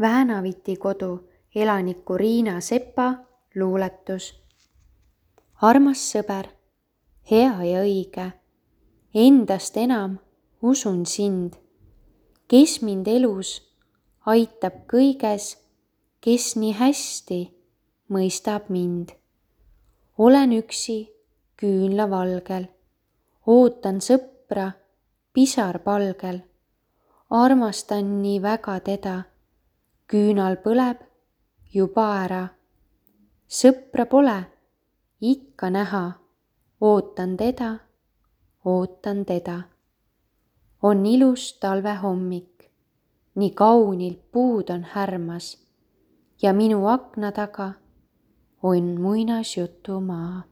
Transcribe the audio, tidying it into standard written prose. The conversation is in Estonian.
Väänaviti kodu elaniku Riina Sepa luuletus. Armas sõber, hea ja õige, endast enam usun sind, kes mind elus aitab kõiges, kes nii hästi mõistab mind. Olen üksi küünlavalgel, ootan sõpra pisarpalgel, armastan nii väga teda, küünal põleb juba ära. Sõpra pole ikka näha, ootan teda, ootan teda. On ilus talvehommik, nii kaunilt puud on härmas ja minu akna taga on muinasjutumaa.